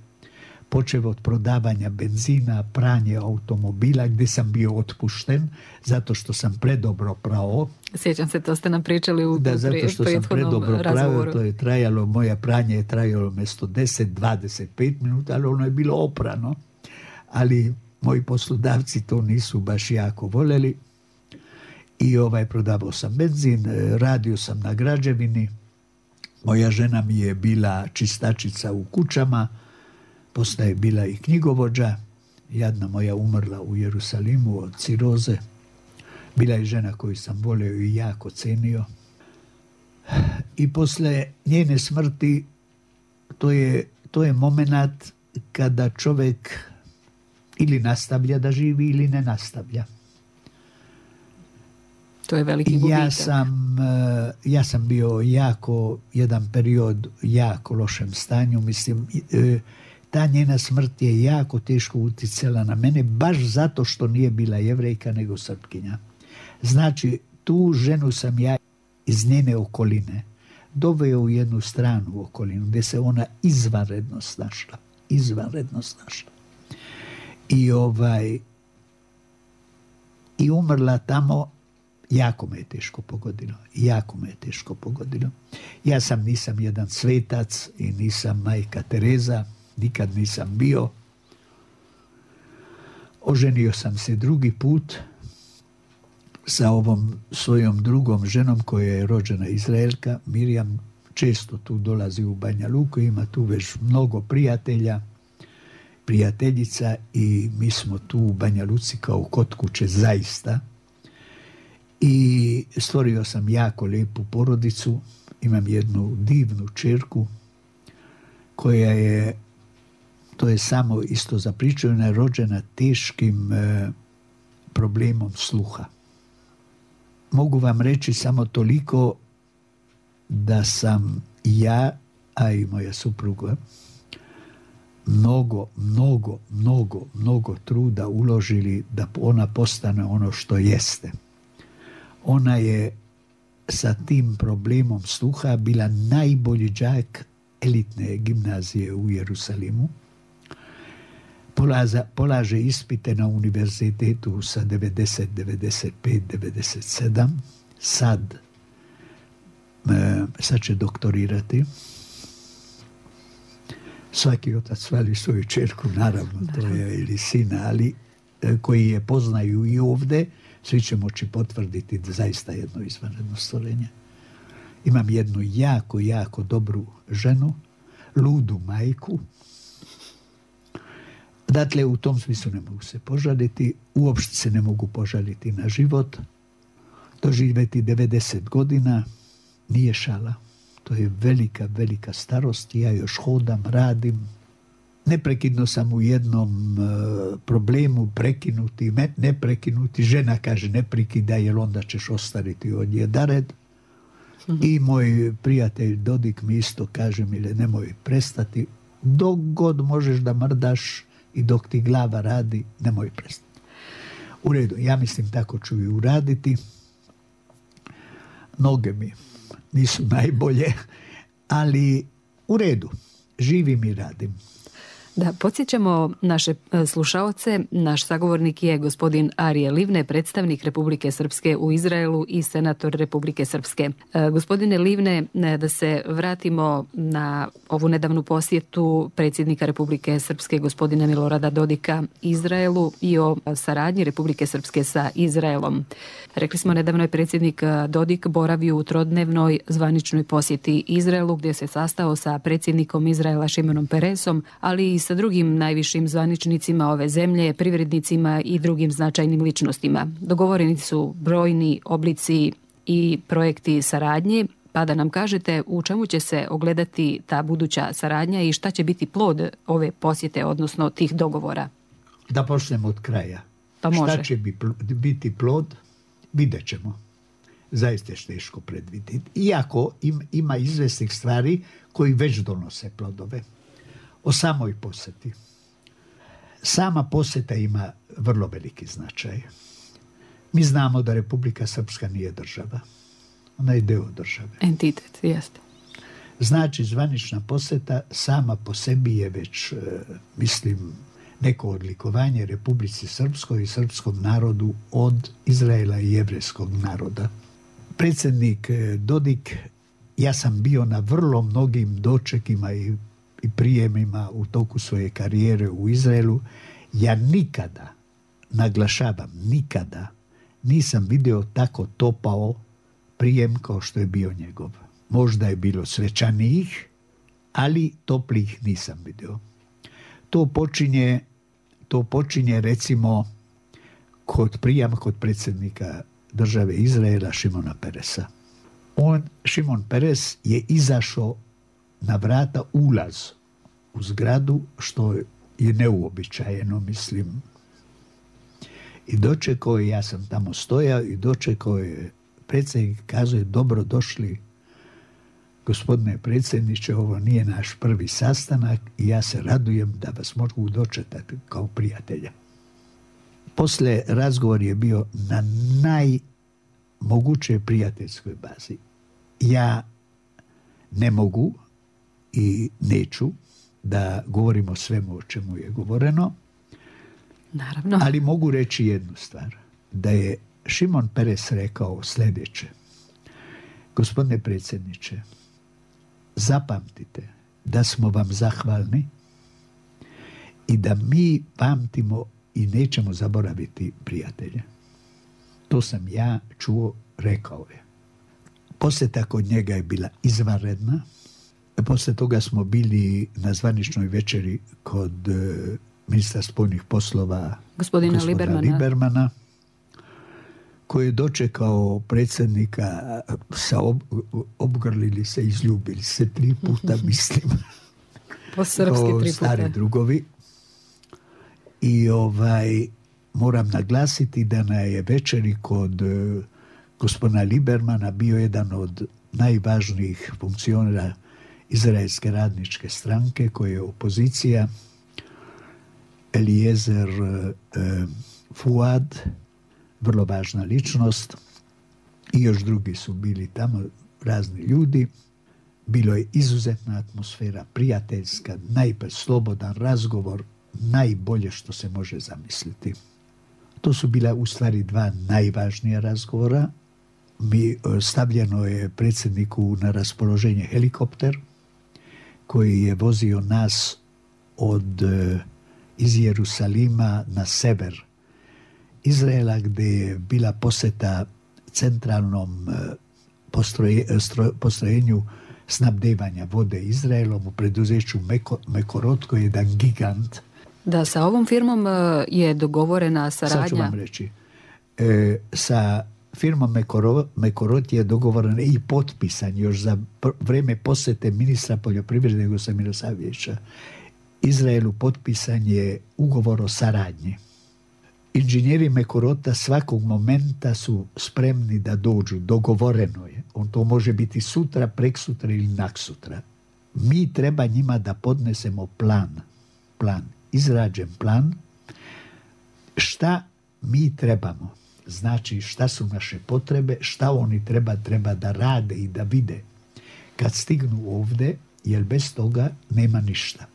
počeo od prodavanja benzina, pranje automobila, gdje sam bio otpušten zato što sam predobro prao. Sjećam se, to ste nam pričali u zato što sam predobro prao, to je trajalo, moje pranje je trajalo mjesto 10-25 minuta, ali ono je bilo oprano. Ali moji poslodavci to nisu baš jako voljeli. I prodavao sam benzin, radio sam na građevini. Moja žena mi je bila čistačica u kućama, poslije je bila i knjigovođa. Jadna moja umrla u Jerusalimu od ciroze. Bila je žena koju sam volio i jako cenio. I poslije njene smrti, to je moment kada čovjek ili nastavlja da živi ili ne nastavlja. To je veliki gubitak. Ja sam bio jedan period jako lošem stanju. Mislim, ta njena smrt je jako teško utjecala na mene, baš zato što nije bila Jevrejka nego Srpkinja. Znači, tu ženu sam ja iz njene okoline doveo u jednu stranu okolinu gdje se ona izvanredno snašla. I umrla tamo. Jako me je teško pogodilo. Ja nisam jedan svetac i nisam majka Tereza, nikad nisam bio. Oženio sam se drugi put sa ovom svojom drugom ženom koja je rođena Izraelka. Mirjam često tu dolazi u Banja Luku, ima tu već mnogo prijateljica i mi smo tu u Banja Luci kao kod kuće zaista. I stvorio sam jako lijepu porodicu. Imam jednu divnu čerku koja je, to je samo isto za priču, ona je rođena teškim problemom sluha. Mogu vam reći samo toliko da sam ja, a i moja supruga, mnogo truda uložili da ona postane ono što jeste. Ona je sa tim problemom sluha bila najbolji đak elitne gimnazije u Jerusalimu. Polaže ispite na univerzitetu sa 90, 95, 97. Sad će doktorirati. Svaki otac voli svoju čerku, naravno, to je ili sina, ali koji je poznaju i ovdje, svi će moći potvrditi da zaista jedno izvanredno stvorenje. Imam jednu jako dobru ženu, ludu majku. Dakle, u tom smislu ne mogu se požaliti, uopšte se ne mogu požaliti na život. Doživjeti 90 godina nije šala. To je velika starost. Ja još hodam, radim. Neprekidno sam u jednom problemu, ne prekinuti. Žena kaže ne prekidaj jer onda ćeš ostariti od jedared. I moj prijatelj Dodik mi isto kaže mi nemoj prestati. Dok god možeš da mrdaš i dok ti glava radi, nemoj prestati. U redu, ja mislim tako ću i uraditi. Noge mi nisu najbolje, ali u redu, živim i radim. Da, podsjećamo naše slušaoce, naš sagovornik je gospodin Arije Livne, predstavnik Republike Srpske u Izraelu i senator Republike Srpske. Gospodine Livne, da se vratimo na ovu nedavnu posjetu predsjednika Republike Srpske gospodina Milorada Dodika Izraelu i o saradnji Republike Srpske sa Izraelom. Rekli smo, nedavno je predsjednik Dodik boravio u trodnevnoj zvaničnoj posjeti Izraelu gdje se sastao sa predsjednikom Izraela Šimenom Peresom, ali i sa drugim najvišim zvaničnicima ove zemlje, privrednicima i drugim značajnim ličnostima. Dogovoreni su brojni oblici i projekti saradnje, pa da nam kažete u čemu će se ogledati ta buduća saradnja i šta će biti plod ove posjete, odnosno tih dogovora. Da počnemo od kraja. Pa može. Šta će biti plod? vidjet ćemo. Zaista je teško predvidjeti. Iako ima izvesnih stvari koji već donose plodove. O samoj posjeti. Sama posjeta ima vrlo veliki značaj. Mi znamo da Republika Srpska nije država. Ona je deo države. Entitet, jeste. Znači, zvanična posjeta sama po sebi je već, mislim, neko odlikovanje Republici Srpskoj i srpskom narodu od Izraela i jevrejskog naroda. Predsjednik Dodik, ja sam bio na vrlo mnogim dočekima i prijemima u toku svoje karijere u Izraelu. Ja nikada, naglašavam, nikada nisam vidio tako topao prijem kao što je bio njegov. Možda je bilo svečanijih, ali toplih nisam vidio. To počinje recimo kod prijama kod predsjednika države Izraela Šimona Peresa. Šimon Peres je izašao na vrata, ulaz u zgradu, što je neuobičajeno, mislim. I dočekao je, ja sam tamo stojao, i dočekao je predsjednik, kazuje, dobro došli, gospodine predsjedniče, ovo nije naš prvi sastanak i ja se radujem da vas mogu dočekati kao prijatelja. Poslije razgovor je bio na najmogućoj prijateljskoj bazi. Ja ne mogu i neću da govorim o svemu o čemu je govoreno. Naravno. Ali mogu reći jednu stvar. Da je Šimon Peres rekao sljedeće. Gospodine predsjedniče, zapamtite da smo vam zahvalni i da mi pamtimo i nećemo zaboraviti prijatelje. To sam ja čuo, rekao je. Posjeta kod njega je bila izvanredna. Poslije toga smo bili na zvaničnoj večeri kod ministra spoljnih poslova gospodina Libermana, koji je dočekao predsjednika, obgrlili se, izljubili se 3 puta, mislim. Po srpski 3 puta. Stari drugovi. I moram naglasiti da na je večeri kod gospodina Libermana bio jedan od najvažnijih funkcionera Izraelske radničke stranke, koja je opozicija, Eliezer Fuad, vrlo važna ličnost, i još drugi su bili tamo, razni ljudi. Bilo je izuzetna atmosfera, prijateljska, slobodan razgovor, najbolje što se može zamisliti. To su bila u stvari 2 najvažnija razgovora. Stavljeno je predsjedniku na raspoloženje helikopter koji je vozio nas iz Jerusalima na sever Izraela, gdje je bila posjeta centralnom postrojenju snabdevanja vode Izraelom u preduzeću Mekorot, koji je jedan gigant. Da, sa ovom firmom je dogovorena saradnja. Sad ću vam reći. Sa firmom Mekorot je dogovoren i potpisan još za vrijeme posjete ministra poljoprivrede Gosa Milosavljevića Izraelu. Potpisan je ugovor o saradnji. Inženjeri Mekorota svakog momenta su spremni da dođu, dogovoreno je. To može biti sutra, preksutra ili naksutra. Mi treba njima da podnesemo plan, izrađen plan, šta mi trebamo. Znači šta su naše potrebe, šta oni treba da rade i da vide kad stignu ovdje, jer bez toga nema ništa.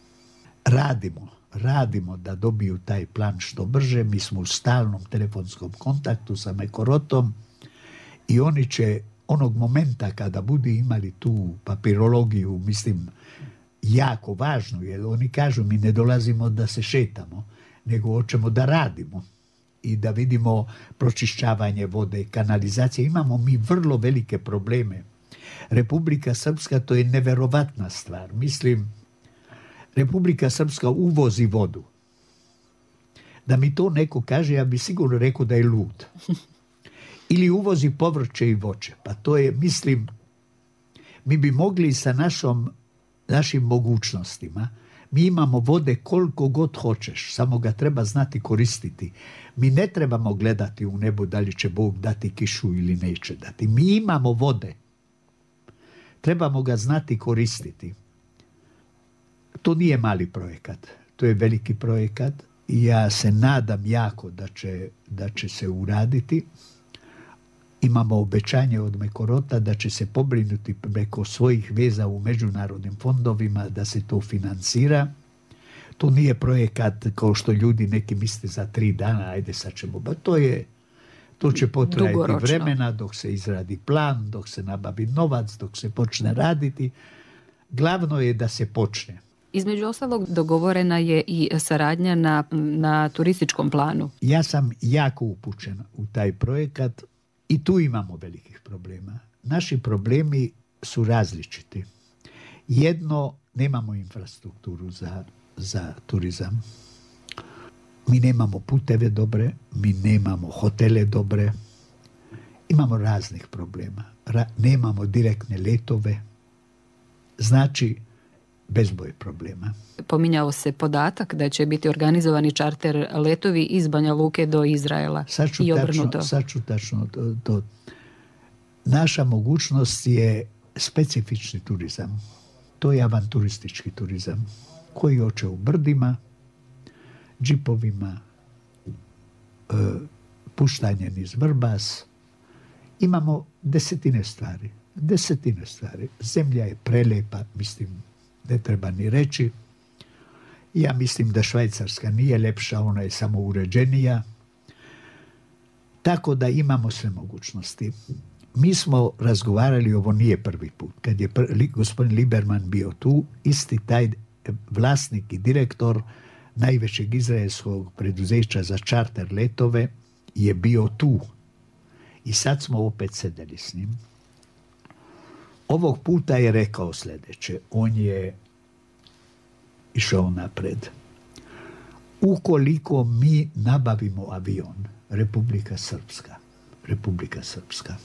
Radimo da dobiju taj plan što brže. Mi smo u stalnom telefonskom kontaktu sa Mekorotom i oni će onog momenta kada budu imali tu papirologiju, mislim, jako važno, jer oni kažu mi ne dolazimo da se šetamo, nego hoćemo da radimo i da vidimo pročišćavanje vode, kanalizacije. Imamo mi vrlo velike probleme. Republika Srpska, to je neverovatna stvar. Mislim, Republika Srpska uvozi vodu. Da mi to neko kaže, ja bi sigurno rekao da je lud. Ili uvozi povrće i voće. Pa to je, mislim, mi bi mogli sa našim mogućnostima Mi imamo vode koliko god hoćeš, samo ga treba znati koristiti. Mi ne trebamo gledati u nebo da li će Bog dati kišu ili neće dati. Mi imamo vode. Trebamo ga znati koristiti. To nije mali projekat. To je veliki projekat i ja se nadam jako da će se uraditi. Imamo obećanje od Mekorota da će se pobrinuti preko svojih veza u međunarodnim fondovima da se to financira. To nije projekat kao što ljudi neki misle za 3 dana, ajde sad ćemo. To će potrajati vremena dok se izradi plan, dok se nabavi novac, dok se počne raditi. Glavno je da se počne. Između ostalog dogovorena je i saradnja na turističkom planu. Ja sam jako upućen u taj projekat i tu imamo velikih problema. Naši problemi su različiti. Jedno, nemamo infrastrukturu za turizam. Mi nemamo puteve dobre, mi nemamo hotele dobre, imamo raznih problema. Nemamo direktne letove, znači bezbroj problema. Pominjao se podatak da će biti organizovani čarter letovi iz Banja Luke do Izraela i obrnuto. Sad ću tačno to. Naša mogućnost je specifični turizam. To je avanturistički turizam koji hoće u brdima, džipovima, puštanje niz Vrbas. Imamo desetine stvari. Zemlja je prelepa, mislim, ne treba ni reći. Ja mislim da Švajcarska nije lepša, ona je samo uređenija. Tako da imamo sve mogućnosti. Mi smo razgovarali, ovo nije prvi put, kad je gospodin Liberman bio tu, isti taj vlasnik i direktor najvećeg izraelskog preduzeća za čarter letove je bio tu. I sad smo opet sedeli s njim. Ovog puta je rekao sljedeće. On je išao napred. Ukoliko mi nabavimo avion, Republika Srpska,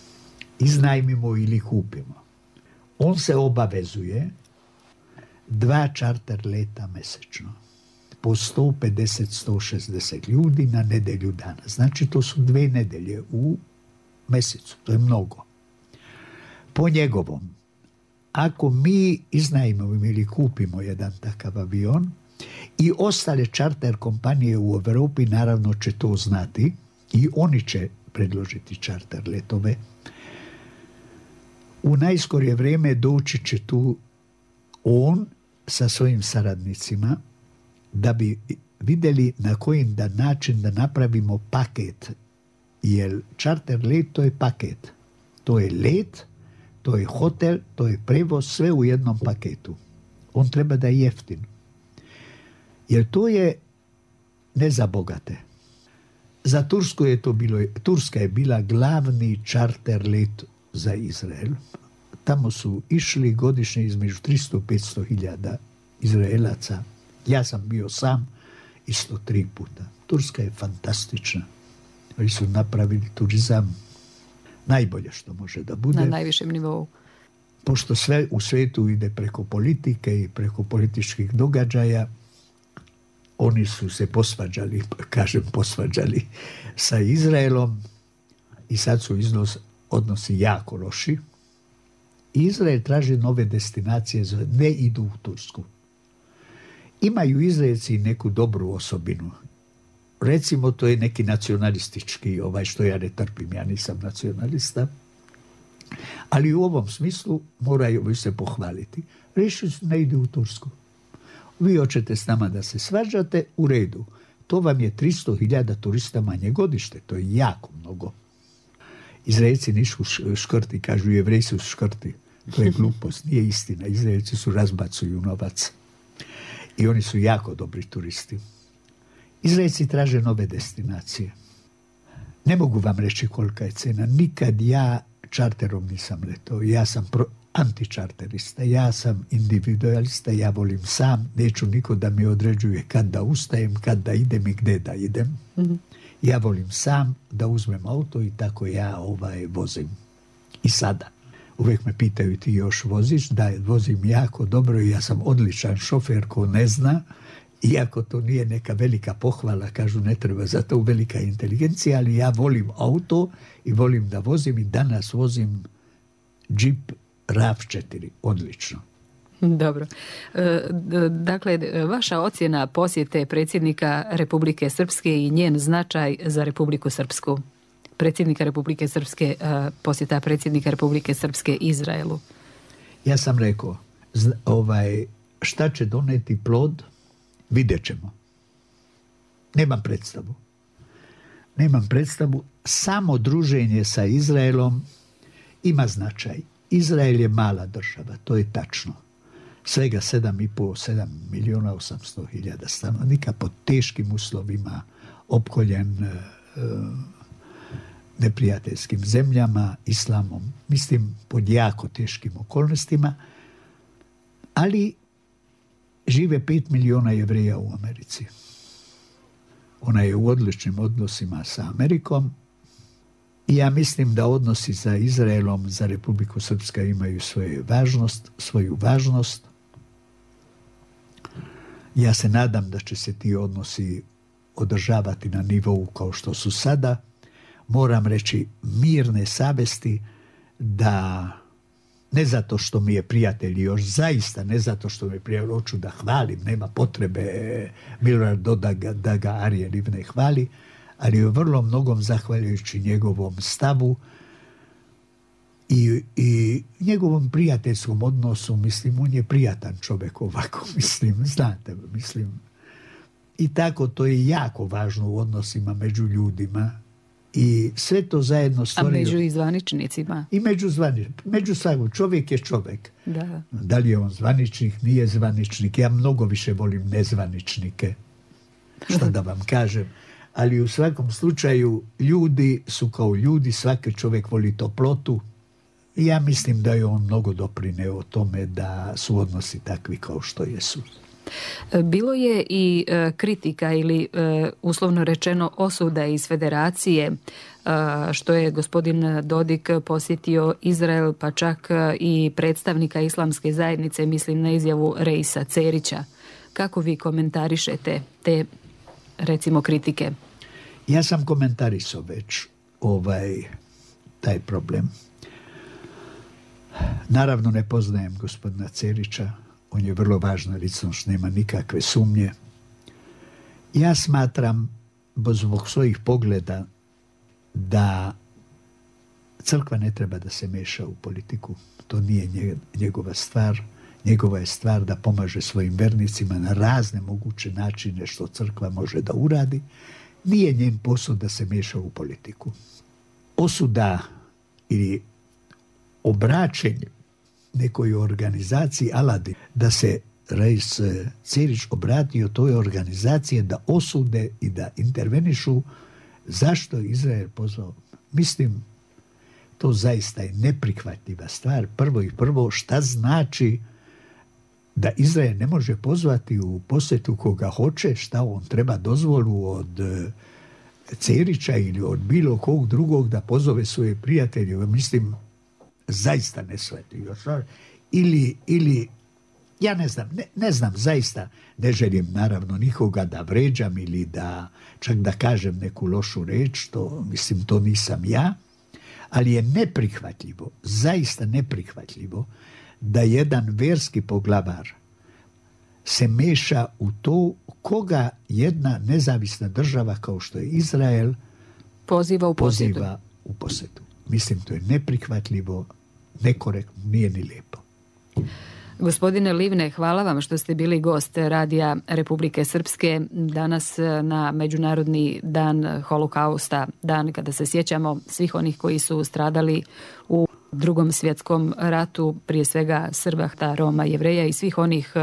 iznajmimo ili kupimo, on se obavezuje 2 čarter leta mesečno. Po 150-160 ljudi na nedelju dana. Znači to su 2 nedelje u mesecu. To je mnogo. Po njegovom, ako mi iznajmimo ili kupimo jedan takav avion i ostale čarter kompanije u Europi naravno će to znati i oni će predložiti čarter letove, u najskorije vrijeme doći će tu on sa svojim saradnicima da bi vidjeli na koji način da napravimo paket. Jer čarter let to je paket. To je let, to je hotel, to je prevoz, sve u jednom paketu. On treba da je jeftin. Jer to je ne za bogate. Za Tursku je to bilo, Turska je bila glavni čarter let za Izrael. Tamo su išli godišnje između 300-500 hiljada Izraelaca. Ja sam bio sam isto 3 puta. Turska je fantastična. Oni su napravili turizam najbolje što može da bude. Na najvišem nivou. Pošto sve u svijetu ide preko politike i preko političkih događaja, oni su se posvađali sa Izraelom i sad su odnosi jako loši. Izrael traži nove destinacije, ne idu u Tursku. Imaju Izraelci neku dobru osobinu. Recimo, to je neki nacionalistički, što ja ne trpim, ja nisam nacionalista, ali u ovom smislu moraju se pohvaliti. Rešili su, ne ide u Tursku. Vi hoćete s nama da se svađate, u redu. To vam je 300.000 turista manje godište, to je jako mnogo. Izraelci nisu škrti, kažu Jevreji su škrti. To je glupost, nije istina. Izraelci su razbacuju novac. I oni su jako dobri turisti. Izraelci traže nove destinacije. Ne mogu vam reći kolika je cena. Nikad ja čarterom nisam letao. Ja sam antičarterista. Ja sam individualista. Ja volim sam. Neću niko da mi određuje kad da ustajem, kad da idem i gde da idem. Mm-hmm. Ja volim sam da uzmem auto i tako ja vozim. I sada. uvijek me pitaju ti još voziš, da vozim jako dobro i ja sam odličan šofer ko ne zna, iako to nije neka velika pohvala, kažu ne treba za to velika inteligencija, ali ja volim auto i volim da vozim i danas vozim Jeep RAV4, odlično. Dobro. Dakle, vaša ocjena posjete predsjednika Republike Srpske i njen značaj za Republiku Srpsku. Predsjednika Republike Srpske, posjeta predsjednika Republike Srpske Izraelu. Ja sam rekao, šta će doneti plod, vidjet ćemo. Nemam predstavu. Samo druženje sa Izraelom ima značaj. Izrael je mala država, to je tačno. Svega 7 milijuna 800 hiljada stanovnika, pod teškim uslovima, opkoljen neprijateljskim zemljama, islamom, mislim pod jako teškim okolnostima, ali žive 5 milijuna Jevreja u Americi. Ona je u odličnim odnosima sa Amerikom i ja mislim da odnosi sa Izraelom, za Republiku Srpska imaju svoju važnost. Ja se nadam da će se ti odnosi održavati na nivou kao što su sada. Moram reći mirne savesti da, ne zato što mi je prijatelj još, zaista ne zato što mi je prijatelj, hoću da hvalim, nema potrebe Miloradu da ga Arije Livne hvali, ali je vrlo mnogom zahvaljujući njegovom stavu i njegovom prijateljskom odnosu, mislim, on je prijatan čovjek ovako, mislim, znate, mislim. I tako, to je jako važno u odnosima među ljudima i sve to zajedno stvorio. A među i zvaničnicima? I među svakog. Čovjek je čovjek. Da. Da li je on zvaničnik, nije zvaničnik. Ja mnogo više volim nezvaničnike, što da vam kažem. Ali u svakom slučaju ljudi su kao ljudi, svaki čovjek voli toplotu. I ja mislim da je on mnogo doprineo o tome da su odnosi takvi kao što jesu. Bilo je i kritika ili uslovno rečeno osuda iz Federacije što je gospodin Dodik posjetio Izrael, pa čak i predstavnika islamske zajednice, mislim na izjavu Reisa Cerića. Kako vi komentarišete te, recimo, kritike? Ja sam komentarisao već taj problem. Naravno ne poznajem gospodina Cerića, on je vrlo važna ličnost, nema nikakve sumnje. Ja smatram, zbog svojih pogleda, da crkva ne treba da se meša u politiku. To nije njegova stvar. Njegova je stvar da pomaže svojim vernicima na razne moguće načine što crkva može da uradi. Nije njen posao da se meša u politiku. Osuda ili obraćenje nekoj organizaciji Aladin, da se Reis Cerić obratio toj organizaciji da osude i da intervenišu zašto Izrael pozvao. Mislim, to zaista je neprihvatljiva stvar. Prvo, šta znači da Izrael ne može pozvati u posjetu koga hoće, šta on treba dozvolu od Cerića ili od bilo kog drugog da pozove svoje prijatelje. Mislim, zaista neshvatljivo. Ili ja ne znam, zaista ne želim naravno nikoga da vređam ili da čak da kažem neku lošu reč, to nisam ja, ali je neprihvatljivo, zaista neprihvatljivo da jedan verski poglavar se meša u to koga jedna nezavisna država kao što je Izrael poziva u posjetu. Mislim, to je neprihvatljivo, nekorektno, nije ni lijepo. Gospodine Livne, hvala vam što ste bili gost Radija Republike Srpske danas na Međunarodni dan Holokausta, dan kada se sjećamo svih onih koji su stradali u Drugom svjetskom ratu, prije svega Srba, Roma, Jevreja i svih onih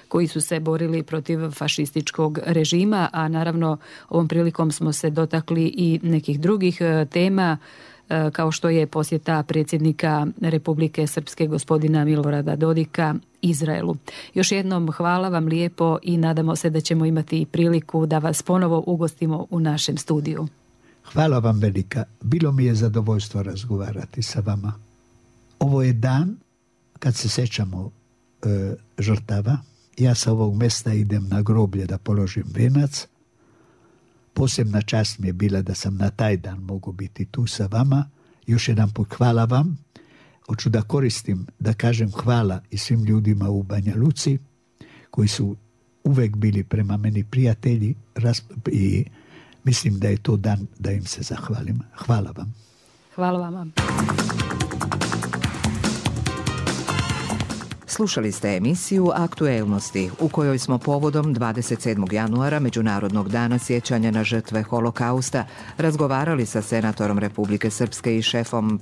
koji su se borili protiv fašističkog režima, a naravno ovom prilikom smo se dotakli i nekih drugih tema, kao što je posjeta predsjednika Republike Srpske gospodina Milorada Dodika Izraelu. Još jednom hvala vam lijepo i nadamo se da ćemo imati priliku da vas ponovo ugostimo u našem studiju. Hvala vam velika. Bilo mi je zadovoljstvo razgovarati sa vama. Ovo je dan kad se sećamo žrtava. Ja sa ovog mesta idem na groblje da položim venac. Posebna čast mi je bila da sam na taj dan mogu biti tu sa vama. Još jedan put hvala vam. Hoću da koristim, da kažem hvala i svim ljudima u Banja Luci koji su uvek bili prema meni prijatelji i mislim da je to dan da im se zahvalim. Hvala vam. Hvala vama. Slušali ste emisiju Aktuelnosti u kojoj smo povodom 27. januara Međunarodnog dana sjećanja na žrtve Holokausta razgovarali sa senatorom Republike Srpske i šefom